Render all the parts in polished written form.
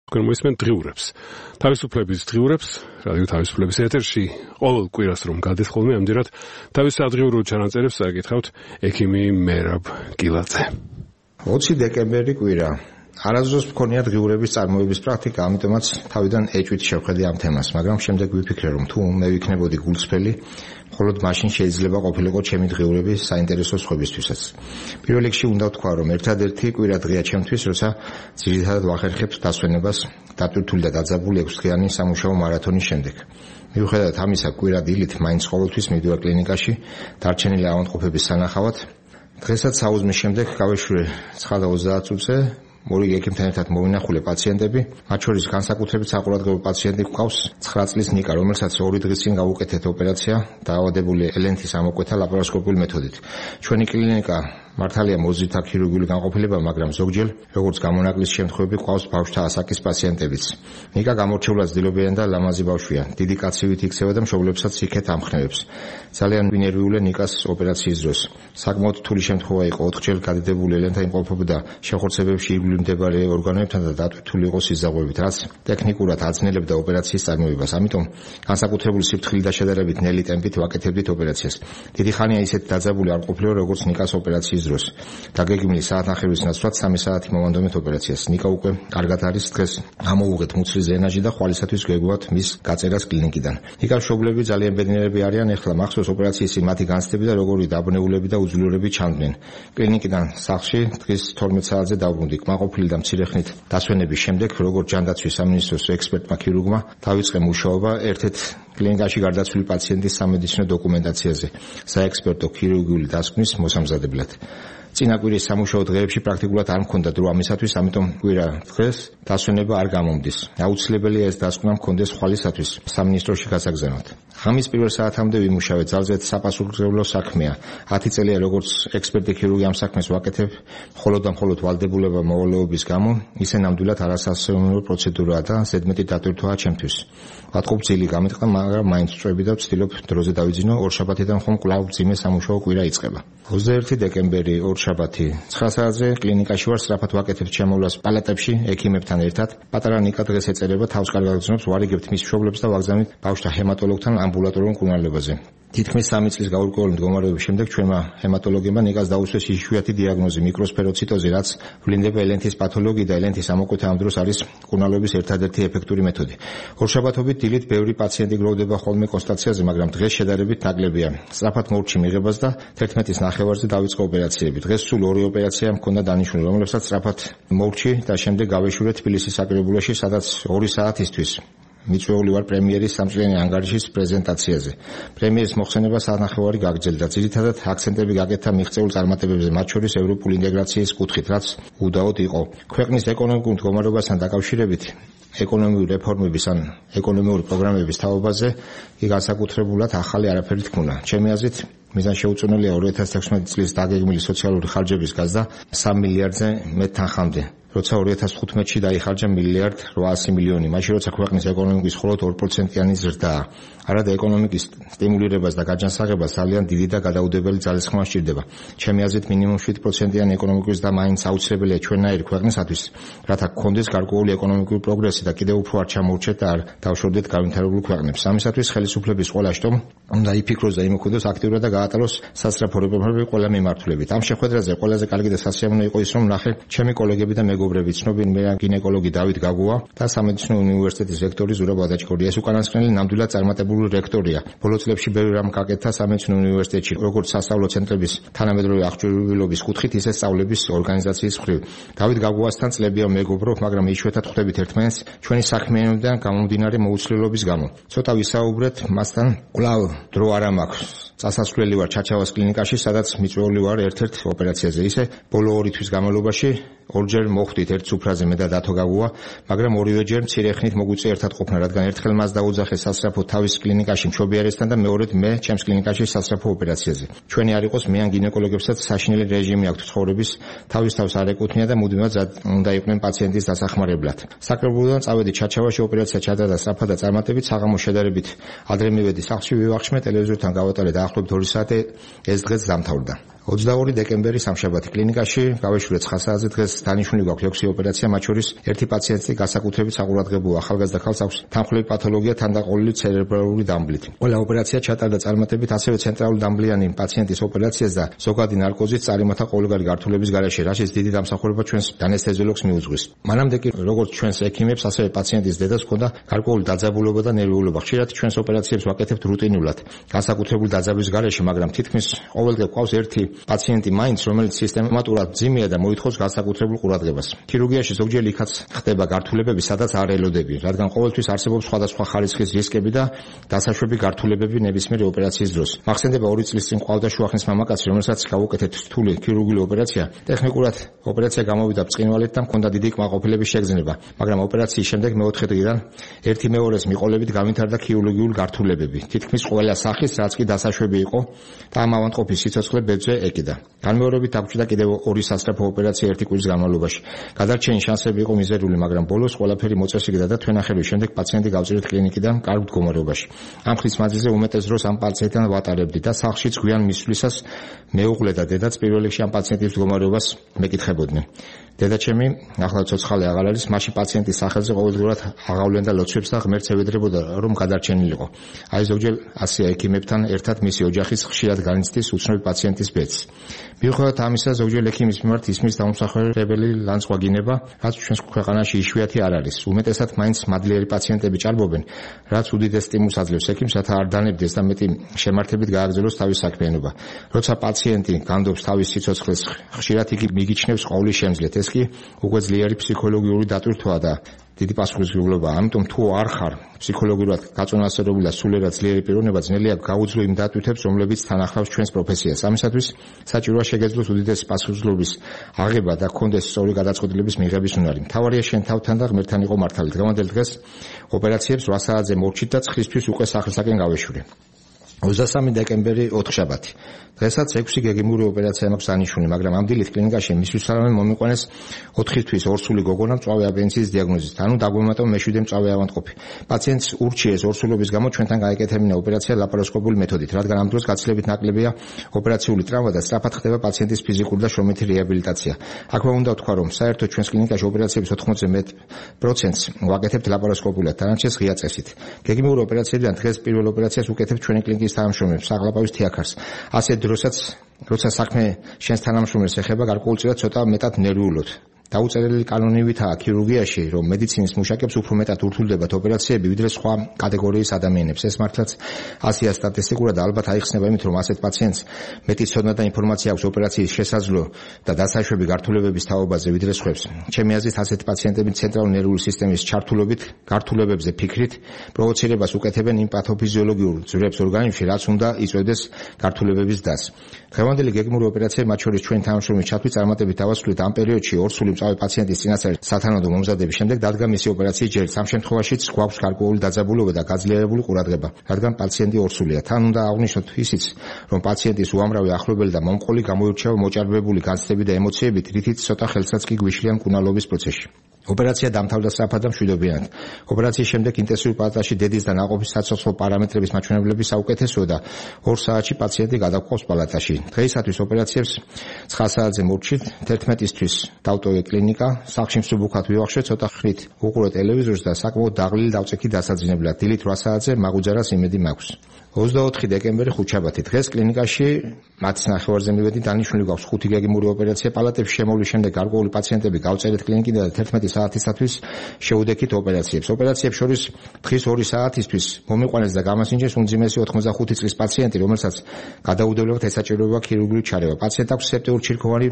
მოისმენთ დღიურებს. თავისუფლების დღიურებს, რადიო თავისუფლების ეთერში ყოველ კვირას რომ გადის ხოლმე, ამჯერად თავის სადღიურო ჩანაწერებს აკითხავთ ექიმი მერაბ გილაძე. 20 დეკემბერი კვირა. არასდროს მქონია დღიურების წარმოების პრაქტიკა, ამიტომაც თავიდან ეჭვით შევხედე ამ თემას, მაგრამ შემდეგ ვიფიქრე, რომ თუ მე ვიქნებოდი გულწრფელი, მხოლოდ მაშინ შეიძლება ყოფილიყო ჩემი დღიურები საინტერესო სხვებისთვისაც. პირველ რიგში უნდა ვთქვა, რომ ერთადერთი კვირა დღეა ჩემთვის, როცა ძირითადად ვახერხებ დასვენებას დატვირთული და დაძაბული 6-დღიანი სამუშაო მარათონის შემდეგ. მიუხედავად ამისა, კვირა დილით მაინც ყოველთვის მივდივარ კლინიკაში, დარჩენილი ავადმყოფების სანახავად. დღესაც საუზმის შემდეგ გავეშვი 9:30 წუთზე. მორიგ ექიმთან ერთად მოვინახულე პაციენტები, მათ შორის განსაკუთრებით საყურადღებო პაციენტი გვყავს 9 წლის ნიკა, რომელსაც 2 დღის წინ გავუკეთეთ ოპერაცია, დაავადებული ელენთის ამოკვეთა ლაპარასკოპიული მეთოდით. ჩვენი კლინიკა მართალია მოზრდითა ქირურგიული განყოფილება, მაგრამ ზოგჯერ, როგორც გამონაკლის შემთხვევები, გვყავს ბავშვთა ასაკის პაციენტებიც. ნიკა გამორჩეულად ძილობიანი და ლამაზი ბავშვია, დიდი კაცივით იქცევა და მშობლებსაც იქეთ ამხნევებს. ძალიან ვინერვიულე ნიკას ოპერაციის დროს. საკმაოდ რთული შემთხვევა იყო, 4-ჯერ გადიდებული ელენთა იმყოფებოდა შეხორცებებში ირგვლივ მდებარე ორგანოებთან და დატვირთული იყო სიზაღუებით, რაც ტექნიკურად აძნელებდა ოპერაციის წარმოებას. ამიტომ განსაკუთრებული სიფრთხილით და შედარებით ნელი ტემპით ვაკეთებდით ოპერაციას. დიდი ხანია ისეთ დაძაბული არ ყოფილიო, როგორც ნიკას ოპერაციის დროს. დაგეგმილი საათნახევრის ნაცვლად 3 საათი მოვანდომეთ ოპერაციას. ნიკა უკვე კარგად არის, დღეს ამოვუღეთ მუცლის დრენაჟი და ხვალისათვის გვეგუათ მის გაწერას კლინიკიდან. ნიკას მშობლები ძალიან ბედნიერები არიან, ეხლა მახსოვს ოპერაციის მათი განცდები და როგორი დაბნეულები და უძლურები ჩანდნენ. კლინიკიდან სახლში დღის 12 საათზე დავბრუნდი. კმაყოფილი და მცირე ხნით დასვენების შემდეგ, როგორც ჯანდაცვის სამინისტროს ექსპერტმა ქირურგმა, დავიწყე მუშაობა ერთ-ერთ კლინიკაში გარდაცვლილი პაციენტის სამედიცინო დოკუმენტაციაზე, საექსპერტო ქირურგიული დასკვნის მოსამზადებლად. წინა კვირის სამუშაო დღეებში პრაქტიკულად არ მქონდა დრო ამისათვის, ამიტომ კვირა დღეს დასვენება არ გამომდის. აუცილებელია ეს დასკვნა მქონდეს ხვალისათვის სამინისტროში გასაგზავნოთ. ღამის პირველ საათამდე ვიმუშავე, ძალზედ საპასუხისმგებლო საქმეა. 10 წელია როგორც ექსპერტი ქირურგი ამ საქმეს ვაკეთებ, მხოლოდ და მხოლოდ ვალდებულება მოვალეობის გამო, ისე ნამდვილად არასასიამოვნო პროცედურაა და ზედმეტი დატვირთვაა ჩემთვის. ვატყობ ძილი გამეთქვა, მაგრამ მაინც წვევი და ვცდილობ დროზე დავიძინო. ორშაბათიდან ხომ კვლავ მძიმე სამუშაო კვირა იწყება. 21 დეკემბერი ორშაბათი 9 საათზე კლინიკაში ვარ, სწრაფად ვაკეთებ შემოვლას პალატებში ექიმებთან ერთად. პატარა ნიკა დღეს ეწერება, თავს კარგად გრძნობს, ვარიგებთ მის მშობლებს და ვაგზავნით ბავშვთა ჰემატოლოგთან ამბულატორიულ მკურნალობაზე. თითქმის 3 წლის გაურკვეველი მდგომარეობის შემდეგ ჩვენმა ჰემატოლოგებმა ნიკას დაუსვეს იშვიათი დიაგნოზი მიკროსფეროციტოზი, რაც ვლინდება ელენთის პათოლოგიით და ელენთის ამოკვეთა ამ დროს არის მკურნალობის ერთადერთი ეფექტური მეთოდი. ორშაბათობით დილით ბევრი პაციენტი გროვდება ხოლმე კონსტატაციაზე, მაგრამ დღეს შედარებით ნაკლებია. სწრაფად მორჩი მიღებას და 11-ის ნახევარზე დავიწყო ოპერაციები. დღეს სულ 2 ოპერაცია მქონდა დანიშნული, რომლებსაც სწრაფად მორჩი და შემდეგ გავეშურე თბილისის საკრებულოში, სადაც 2 საათისთვის მიწვეული ვარ პრემიერის სამწლიანი ანგარიშის პრეზენტაციაზე. პრემიერის მოხსენება საათნახევარი გაგრძელდა. ძირითადად აქცენტები გაკეთა მიღწეულ წარმატებებზე, მათ შორის ევროპული ინტეგრაციის კუთხით, რაც უდაოდ იყო. ქვეყნის ეკონომიკურ მდგომარეობასთან დაკავშირებით ეკონომიკური რეფორმების ან ეკონომიკური პროგრამების თაობაზე კი განსაკუთრებულად ახალი არაფერი თქმულა. ჩემი აზრით, მიზანშეუწონელია 2016 წლის დაგეგმილი სოციალური ხარჯების გაზრდა 3 მილიარდზე მეტ თანხამდე. როცა 2015-ში დაიხარჯა 1,8 მილიონი, მაშინ როცა ქვეყნის ეკონომიკის მხოლოდ 2%-იანი ზრდაა. არადა ეკონომიკის სტიმულირებას და გაჯანსაღებას ძალიან დიდი და გადაუდებელი ძალისხმევა სჭირდება. ჩემი აზრით, მინიმუმ 7%-იანი ეკონომიკის და მაინც აუცილებელია ჩვენნაირი ქვეყნისათვის, რათა გქონდეს გარკვეული ეკონომიკური პროგრესი და კიდევ უფრო არ ჩამოურჩეთ და არ დავშორდეთ განვითარებულ ქვეყნებს. ამისათვის ხელისუფლების ყველა შტომ უნდა იფიქროს და იმოქმედოს აქტიურად და გაატაროს სასწრაფო რეფორმები ყველა მიმართულებით. ამ შეხვედრაზე ყველაზე კარგი და სასიამოვნო იყო ის, რომ ნახე ჩემი კოლეგები და მეგობრები, ცნობილი გინეკოლოგი დავით გაგუა და სამედიცინო უნივერსიტეტის რექტორი ზურაბ ვადაჭკორია. ეს უკანასკნელი ნამდვილად წარმატებული რექტორია. ბოლო წლებში ბევრი რამ გაკეთა სამედიცინო უნივერსიტეტში, როგორც სასწავლო ცენტრების თანამედროვე აღჭურვილობის კუთხით, ისე სწავლების ორგანიზაციის მხრივ. დავით გაგუასთან წლებია მეგობრობ, მაგრამ იშვიათად ხვდებით ერთმანეთს ჩვენი საქმიანობიდან გამომდინარე მოუცვლელობის გამო. ცოტა ვისაუბრეთ მასთან, კვლავ დრო არ მაქვს. წასასვლელი ვარ ჩაჩავას კლინიკაში, სადაც მიწვეული ვარ ერთ-ერთ ოპერაციაზე. ისე ბოლო 2 თვის განმავლობაში 2-ჯერ მოხვდით ერთ სუფრაზე მე და დათო გაგუა, მაგრამ 2-ჯერ მცირე ხნით მოგვიწე ერთად ყოფნა, რადგან ერთხელ მას დაუძახე სასწრაფო თავის კლინიკაში მშობიარესთან და მეორედ მე ჩემს კლინიკაში სასწრაფო ოპერაციაზე. ჩვენი არ იყოს მე ან გინეკოლოგებსაც საშინელი რეჟიმი აქვთ ცხოვრების, თავის არ ეკუთვნია და მუდმივად უნდა იყვნენ პაციენტის დასახმარებლად. საკრებულოდან წავედი ჩაჩავაში, ოპერაცია ჩატარდა სწრაფად და წარმატებით, საღამოს შედარებით ადრე მივედი სახლში, ვივახშმე, ტელევიზორთან გავატარე დაახლოებით 2 საათი, ეს დღეც დამთავრდა. 22 დეკემბერი სამშაბათი კლინიკაში გავეშურეთ 9 საათზე. დღეს დანიშნული გვაქვს 6 ოპერაცია, მათ შორის ერთი პაციენტი განსაკუთრებით საყურადღებოა. ახალგაზრდა ქალს აქვს თანხმლები პათოლოგია თანდაყოლილი ცერებრალური დამბლით. ყველა ოპერაცია ჩატარდა წარმატებით, ასევე ცენტრალური დამბლიანი პაციენტის ოპერაციას და ზოგადი ნარკოზით წარიმართა ყოველგვარი გართულების გარეშე, რასაც დიდი დამსახურება ჩვენს ანესთეზიოლოგს მიუძღვის. მანამდე კი როგორც ჩვენს ექიმებს, ასევე პაციენტის დედას ჰქონდა გარკვეული დაძაბულობა და ნერვიულობა. ხშირად ჩვენს ოპერაციებს ვაკეთებთ რუტინულად, განსაკუთრებული დაძაბვის გარეშე, მაგრამ თითქმის ყოველდღე გვყავს ერთი პაციენტი მაინც, რომელიც სისტემატურად მძიმეა და მოითხოვს განსაკუთრებულ ყურადღებას. ქირურგიაში ზოგჯერ იქაც ხდება გართულებები, სადაც არ ელოდები, რადგან ყოველთვის არსებობს სხვადასხვა ხარისხის რისკები და დასაშვები გართულებები ნებისმიერი ოპერაციის დროს. მახსენდება 2 წლის წინ ყავდა შუახნის მამაკაცი, რომელსაც გავუკეთეთ რთული ქირურგიული ოპერაცია. ტექნიკურად ოპერაცია გამოვიდა ბრწყინვალედ და ჰქონდა დიდი კმაყოფილების შეგრძნება, მაგრამ ოპერაციის შემდეგ მეოთხე დღიდან ერთი მეორეს მიყოლებით განვითარდა ქირურგიული გართულებები. თითქმის ყველა სახის, რაც კი დასაშვები იყო და ამ ავადმყოფის სიცოცხლე ბედზე ეკიდა. განმეორებით დაგჭირდა კიდევ 2 სასწრაფო ოპერაცია 1 კვირის განმავლობაში. გადარჩენის შანსები იყო მიზერული, მაგრამ ბოლოს ყველაფერი მოწესრიგდა და თვენახევრის შემდეგ პაციენტი გავწირეთ კლინიკიდან კარგ მდგომარეობაში. ამ ხნის მანძილზე უმეტეს დროს ამ პაციენტთან ვატარებდი და სახლშიც გვიან მისვლისას მეუღლე და დედაც პირველ რიგში ამ პაციენტის მდგომარეობას მეკითხებოდნენ. დედაჩემი ახლა ცოცხალი აღარ არის, მაშინ პაციენტის სახელზე ყოველდღურად აღავლენდა ლოცვებს და ღმერთს ევედრებოდა, რომ გადარჩენილიყო. აი ზოგჯერ ასია ექიმებთან ერთად მისი ოჯახის ხშირად განიცდის უცნობი პაციენტის ბედს. მიუხედავად ამისა, ზოგჯერ ექიმის მიმართ ისმის დაუმსახურებელი ლანცვა გინება, რაც ჩვენს ქვეყანაში იშვიათი არ არის. უმეტესად მაინც მადლიერი პაციენტები ჭარბობენ, რაც უდიდეს სტიმულს აძლევს ექიმს, რათა არ დანებდეს და მეტი შემართებით გააგრძელოს თავის საქმიანობა. როცა პაციენტი განდობს თავის სიცოცხლეს, ხშირად იგი მიგიჩნევს ყოვლის შემძლეთ. ეს კი უკვე ძლიერი ფსიქოლოგიური დატვირთვაა და დიდი პასუხისმგებლობა. ამიტომ თუ არ ხარ ფსიქოლოგიურად გაწონასწორებული და სულიერად ძლიერი პიროვნება, ძნელია გაუძლო იმ დატვირთვებს, რომლებიც თან ახლავს ჩვენს პროფესიას. ამისათვის საჭიროა შეგეძლოს უდიდესი პასუხისმგებლობის აღება და გქონდეს სწორი გადაწყვეტილების მიღების უნარი. მთავარია შენ თავთან და ღმერთთან იყო მართალი. დღევანდელ დღეს ოპერაციებს 8 საათზე მორჩით და ცხლისთვის უკვე სახლისაკენ გავეშურე. 23 დეკემბერი ოთხშაბათი. დღესაც 6 გეგმიური ოპერაცია მაქვს დანიშნული, მაგრამ ამ დილით კლინიკაში მისვლისთანავე მომიყვანეს 4 თვის ორსული გოგონა მწვავე აპენდიციტის დიაგნოზით, ანუ დაგვემატა მეშვიდე მწვავე ავადმყოფი. პაციენტს ურჩიეს ორსულობის გამო ჩვენთან გაეკეთებინა ოპერაცია ლაპაროსკოპული მეთოდით, რადგან ამ დროს გაცილებით ნაკლებია ოპერაციული ტრავმა და სწრაფად ხდება პაციენტის ფიზიკური და შრომითი რეაბილიტაცია. აქვე უნდა ვთქვა, რომ საერთოდ ჩვენს კლინიკაში ოპერაციების 90% ვაკეთებთ ლაპაროსკოპულად, დანარჩენს ღია წესით. გეგმიური ოპერაციებიდან დღეს პირველ ოპერაციას ვუკეთებთ ჩვენი კლინიკის თანამშრომლებს, საღლაპავის თიაქარს. ასე დროსაც როცა საქმე შენს თანამშრომლებს ეხება, გარკვეულწილად ცოტა მეტად ნერვიულობთ. დაუწერელი კანონივითაა ქირურგიაში, რომ მედიცინის მუშაკებს უფრო მეტად ურთულდებათ ოპერაციები, ვიდრე სხვა კატეგორიის ადამიანებს. ეს მართლაც ასია სტატისტიკურად ალბათ აიხსნება იმით, რომ ასეთ პაციენტს მეტი ცოდნა და ინფორმაცია აქვს ოპერაციის შესაძლო და დასაშვები გართულებების თაობაზე, ვიდრე სხვებს. ჩემი აზრით, ასეთი პაციენტები ცენტრალური ნერვული სისტემის ჩართულობით, გართულებებზე ფიქრით, პროვოცირებას უკეთებენ იმ პათოფიზიოლოგიურ ძვრებს ორგანიზმში, რაც უნდა იწვევდეს გართულებების დასს. დღევანდელი გეგმური ოპერაციები, მათ შორის ჩვენი თანამშრომლის ჩათვლით წარმატებით დავასრულეთ ამ პერიოდში ორსული მწვავე პაციენტის წინასწარ სათანადო მომზადების შემდეგ დადგა მისი ოპერაციის ჯერიც. ამ შემთხვევაშიც გვაქვს გარკვეული დაძაბულობა და გაძლიერებული ყურადღება, რადგან პაციენტი ორსულია. თან უნდა აღვნიშნოთ ისიც, რომ პაციენტის უამრავი ახლობელი და მომყოლი გამოირჩევა მოჭარბებული განცდებით და ემოციებით, რითიც ცოტა ხელსაც კი გვიშლიან მკურნალობის პროცესში. ოპერაცია დამთავრდა სწრაფად და მშვიდობიანად. ოპერაციის შემდეგ ინტენსიური პალატაში დედის და ნაყოფის საცოცხლო პარამეტრების მაჩვენებლები საუკეთესოა და 2 საათში პაციენტი გადაგვყავს პალატაში. დღეისათვის ოპერაციებს 9 საათზე მორჩით, 11-ისთვის დავტოვე კლინიკა, სახლში მსუბუქად ვივახშე, ცოტა ხნით უყურე ტელევიზორს და საკმაოდ დაღლილი დავწექი დასაძინებლად. დილით 8 საათზე მაგუძარას იმედი მაქვს. 24 დეკემბერი ხუთშაბათი. დღეს კლინიკაში მათს ნახევარზე მივედი, დანიშნული გვაქვს 5 გეგმური ოპერაცია. პალატებში შემოვლის შემდეგ გარკვეული პაციენტები გავწერეთ კლინიკიდან და 11 საათისათვის შეუდექით ოპერაციებს. ოპერაციებს შორის დღის 2 საათისთვის მომიყვანეს და გამასინჯეს უმძიმესი 85 წლის პაციენტი, რომელსაც გადაუდებლად ესაჭიროება ქირურგიული ჩარევა. პაციენტს აქვს სეპტიურ-ჩირქოვანი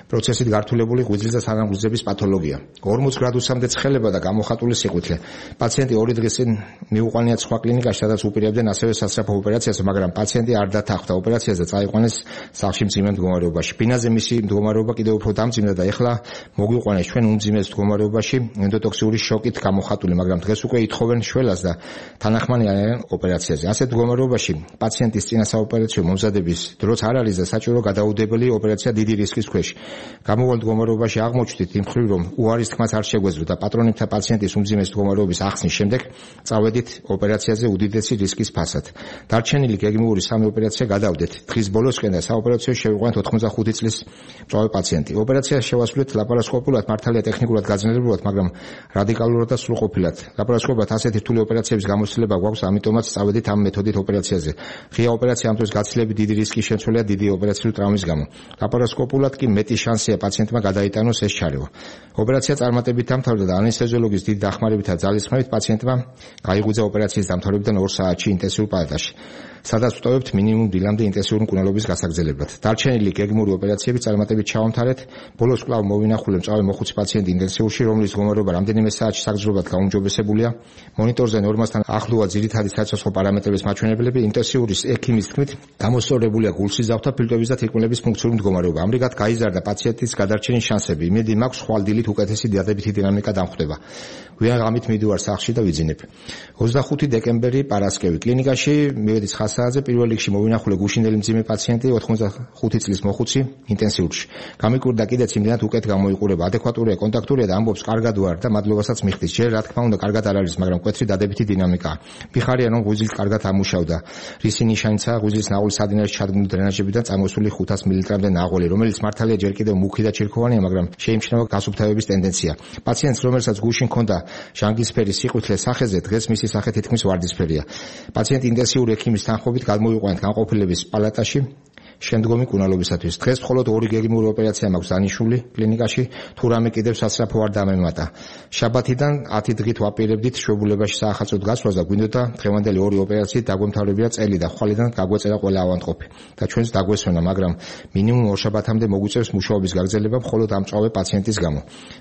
პროცესით გართულებული ღვიძლის და სანამღვიძლების პათოლოგია. 40 გრადუსამდე ცხელება და გამოხატული სიყვითლე. პაციენტი 2 დღის წინ მიუყვანიათ სხვა კლინიკაში, სადაც უპირებდნენ ასევე სასწრაფო ოპერაციას, მაგრამ პაციენტი არ დათანხმდა ოპერაციას და წაიყვანეს სახლში მძიმე მდგომარეობაში. ბინაზე მისი მდგომარეობა კიდევ უფრო დამძიმდა და ეხლა მოგვიყვანეს ჩვენ უმძიმეს მდგომარეობაში ენდოტოქსიური შოკით გამოხატული, მაგრამ დღეს უკვე ითხოვენ შველას და თანახმანი არიან ოპერაციაზე. ასეთ მდგომარეობაში პაციენტის წინასაოპერაციო მომზადების დროც არ არის და საჭირო გადაუდებელი ოპერაცია დიდი რისკის ქვეშ. გამოვალ მდგომარეობაში აღმოჩნდით იმ მხრივ, რომ უარის თქმაც არ შეგვეძლო და პატრონებთან პაციენტის უმძიმეს მდგომარეობის ახსნის შემდეგ წავედით ოპერაციაზე უდიდესი რისკის ფასად. დარჩენილი გეგმიური 3 ოპერაცია გადავდეთ დღის ბოლოსკენ და საოპერაციო შევიყვანეთ 85 წლის მწვავე პაციენტი. ოპერაცია შევასრულეთ ლაპარასკოპულად, მართალია ტექნიკურად გაძნელებულად, მაგრამ რადიკალურად და სრულყოფილად. ლაპარასკოპულად ასეთი რთული ოპერაციების გამოცდილება გვაქვს, ამიტომაც წავედით ამ მეთოდით ოპერაციაზე. ღია ოპერაცია ამ დროს გაცილებით დიდი რისკის შემცველია დიდი ოპერაციული ტრამვის გამო. ლაპარასკოპულად კი მეტი შანსია პაციენტმა გადაიტანოს ეს ჩარევა. ოპერაცია წარმატებით დამთავრდა და ანესთეზიოლოგის დიდი დახმარებით და ძალისხმევით პაციენტმა გაიღვიძა ოპერაციის დამთავრებიდან 2 საათში ინტენსიურ პალატაში. სადაც ვტოვებთ მინიმუმ დილამდე ინტენსიური მკურნალობის გასაგრძელებლად. დარჩენილი გეგმური ოპერაციები წარმატებით ჩავამთავრეთ. ბოლოს კვლავ მოვინახულე მწვავე მოხუცი პაციენტი ინტენსიურში, რომლის მდგომარეობა რამდენიმე საათში საგრძნობლად გაუმჯობესებულია. მონიტორზე ნორმასთან ახლოა ძირითადი საცოცხლო პარამეტრების მაჩვენებლები. ინტენსიურის ექიმის თქმით, გამოსწორებულია გულსიზავთ და ფილტვების და თირკმლების ფუნქციური მდგომარეობა. ამრიგად გაიზარდა პაციენტის გადარჩენის შანსები. იმედი მაქვს, ხვალ დილით უკეთესი დადებითი დინამიკა დამხვდება. გვიან ღამით მივდივარ სახლში და ვიძინებ. 25 დეკემბერი პარასკევი კლინიკაში მივედი 9 საათზე პირველ რიგში მოვინახულე გუშინდელი მძიმე პაციენტი 85 წლის მოხუცი ინტენსიურში. გამიკვირდა კიდეც იმდენად უკეთ გამოიყურება, ადეკვატურია, კონტაქტურია და ამბობს კარგად ვარ და მადლობასაც მიხდის. ჯერ რა თქმა უნდა კარგად არ არის, მაგრამ მკვეთრი დადებითი დინამიკაა. მიხარია რომ ღვიძლით კარგად ამუშავდა. რისი ნიშანიცაა ღვიძლის ნაღვლის სადინარში ჩადგმული დრენაჟებიდან წამოსული 500 მილilitrამდე ნაღვალი, რომელიც მართალია ჯერ კიდევ მუქი და ჩირქოვანია, მაგრამ შეიმჩნევა გასუფთავების ტენდენცია. პაციენტს, რომელსაც გუშინ ჰქონდა ჟანგისფერი სიყვითლე სახეზე, დღეს მისი სახე თითქმის ვარდისფერია. პაციენტი ინტენსიური ექიმის თანხმობით გადმოვიყვანეთ განყოფილების პალატაში შემდგომი კუნალობისათვის. დღეს მხოლოდ 2 გეგმიური ოპერაცია მაქვს დანიშნული კლინიკაში, თუ რამე კიდევ სასწრაფო არ დამემატა. შაბათიდან 10 დღით ვაპირებდით შვებულებაში საახალწლოდ გასვლას და გვინდოდა დღევანდელი 2 ოპერაციით დაგვემთავრებია წელი და ხვალიდან გაგვეწერა ყველა ავადმყოფი და ჩვენს დაგვესვენა, მაგრამ მინიმუმ 2 შაბათამდე მოგვიწევს მუშაობის გაგრძელება მხოლოდ ამ მწვავე პაციენტის გამო.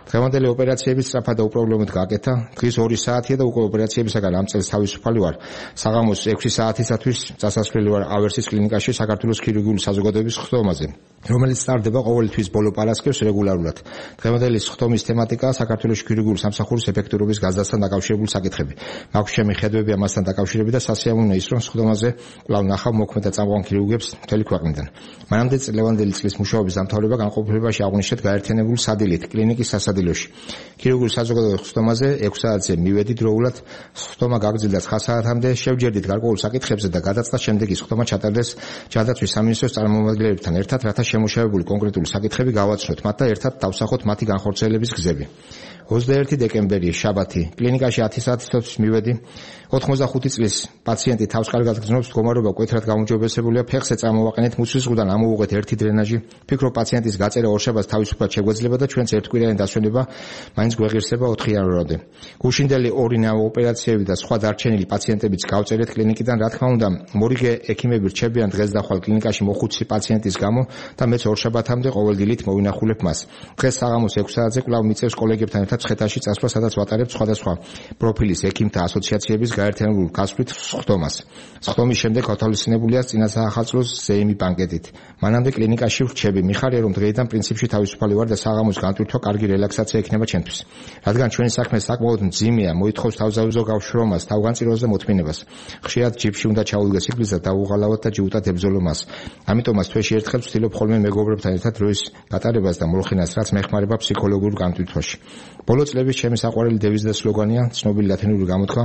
დღევანდელი ოპერაციები სწრაფად და უპრობლემოდ გააკეთა. დღის 2 საათია და უკვე ოპერაციებისაგან ამ წელს თავისუფალი ვარ. საღამოს 6 საათისათვის წასასვლელი ვარ ავერსის კლინიკაში საქართველოს ქირურგიული საზოგადოების ხდომაზე, რომელიც სტარდება ყოველი თვის ბოლო პარასკევს რეგულარულად. დღევანდელი ხდომის თემატიკაა საქართველოს ქირურგიული სამსახურის ეფექტურობის გაზრდასთან დაკავშირებული საკითხები. მაქვს ჩემი ხედვები ამასთან დაკავშირებით და სასიამოვნოა ის, რომ ხდომაზე კვლავ ნახავ მოქმედ და წამყვან ქირურგებს მთელი ქვეყნიდან. მანამდე წლევანდელი წლის მუშაობის დამთავრება განყოფილებაში აღვნიშნეთ გაერთიანებული სადილით კლინიკის სასადილოში. ქირურგიული საზოგადოების ხდომაზე 6 საათზე მივედი დროულად, ხდომა გაგრძელდა 9 საათამდე, შევჯერდით გარკვეულ საკითხებზე და გადაწყდა შემდეგ ის ხდომა ჩატარდეს ჯანდაცვის სამინისტროს წარმომადგენლებთან ერთად, რათა შემუშავებული კონკრეტული საკითხები გავაცნოთ მათ და ერთად დავსახოთ მათი განხორციელების გზები. 21 დეკემბერი შაბათი კლინიკაში 10 საათისთვის მივედი. 85 წლის პაციენტი თავს კარგად გრძნობს, მდგომარეობა მკვეთრად გაუმჯობესებულია, ფეხზე წამოვაყენეთ მუცლის ზღუდან ამოვუღეთ 1 დრენაჟი. ვფიქრობ პაციენტის გაწერა 2 შაბათს თავისუფლად შეგვეძლება და ჩვენც ერთკვირიანი დასვენება მაინც გვეღირსება 4 იანვრამდე. გუშინდელი 2 ნავ ოპერაციები და სხვა დარჩენილი პაციენტებიც გავწერეთ კლინიკიდან. რა თქმა უნდა, მორიგე ექიმები რჩებიან დღეს და ხვალ კლინიკაში მოხუცი პაციენტის გამო და მეც 2 შაბათამდე ყოველ დილით მოვინახულებ მას. დღეს საღამოს 6 საათზე კვლავ მიწევს კოლეგებთან ერთად ცხეთაში წასვლა, სადაც ვატარებ სხვადასხვა პროფილის ექიმთა ასოციაციების გაერთიანებულ გასვლით ხდომას. ხდომის შემდეგ გათავისუფლებულია წინა საახალწლოს ზეიმი ბანკეტით. მანამდე კლინიკაში ვრჩები. მიხარია რომ დღეიდან პრინციპში თავისუფალი ვარ და საღამოს განტვირთვა კარგი რელაქსაცია ექნება ჩემთვის. რადგან ჩვენი საქმე საკმაოდ მძიმეა, მოითხოვს თავზავზო გავშრომას, თავგანწირვას და მოთმინებას. ხშირად ჯიპში უნდა ჩაუდგეს იგლის და დავუღალავად და ჯიუტად ებრძოლო მას. ამიტომაც თვეში ერთხელ ვცდილობ ხოლმე მეგობრებთან ერთად დროის გატარებას და მოლხინას, რაც მეხმარება ფსიქოლოგიურ განტვირთვაში. ბოლო წლების ჩემი საყვარელი დევიზი და სლოგანია ცნობილი ლათინური გამოთქვა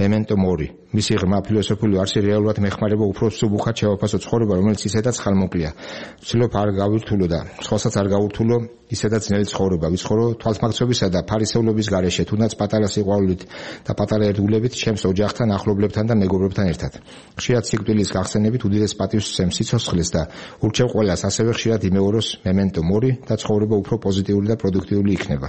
memento mori. მისი ღრმა ფილოსოფიური არსი რეალურად მეხმარება უფრო მსუბუქად შევაფასო ცხოვრება, რომელიც ისედაც ხალმოკლია. ვცდილობ არ გავირთულო და სხვასაც არ გავურთულო ისედაც ძნელი ცხოვრება. ვიცხოვრო თვალთმაქცობისა და ფარისევლობის გარეშე, თუნდაც პატარა სიყვარულით და პატარა ერთგულებით ჩემს ოჯახთან, ახლობლებთან და მეგობრებთან ერთად. ხშირად სიკვდილის გახსენებით უდიდეს პატივს ვცემ სიცოცხლეს და ურჩევ ყველას ასევე ხშირად იმეოროს memento mori და ცხოვრება უფრო პოზიტიური და პროდუქტიული იქნება.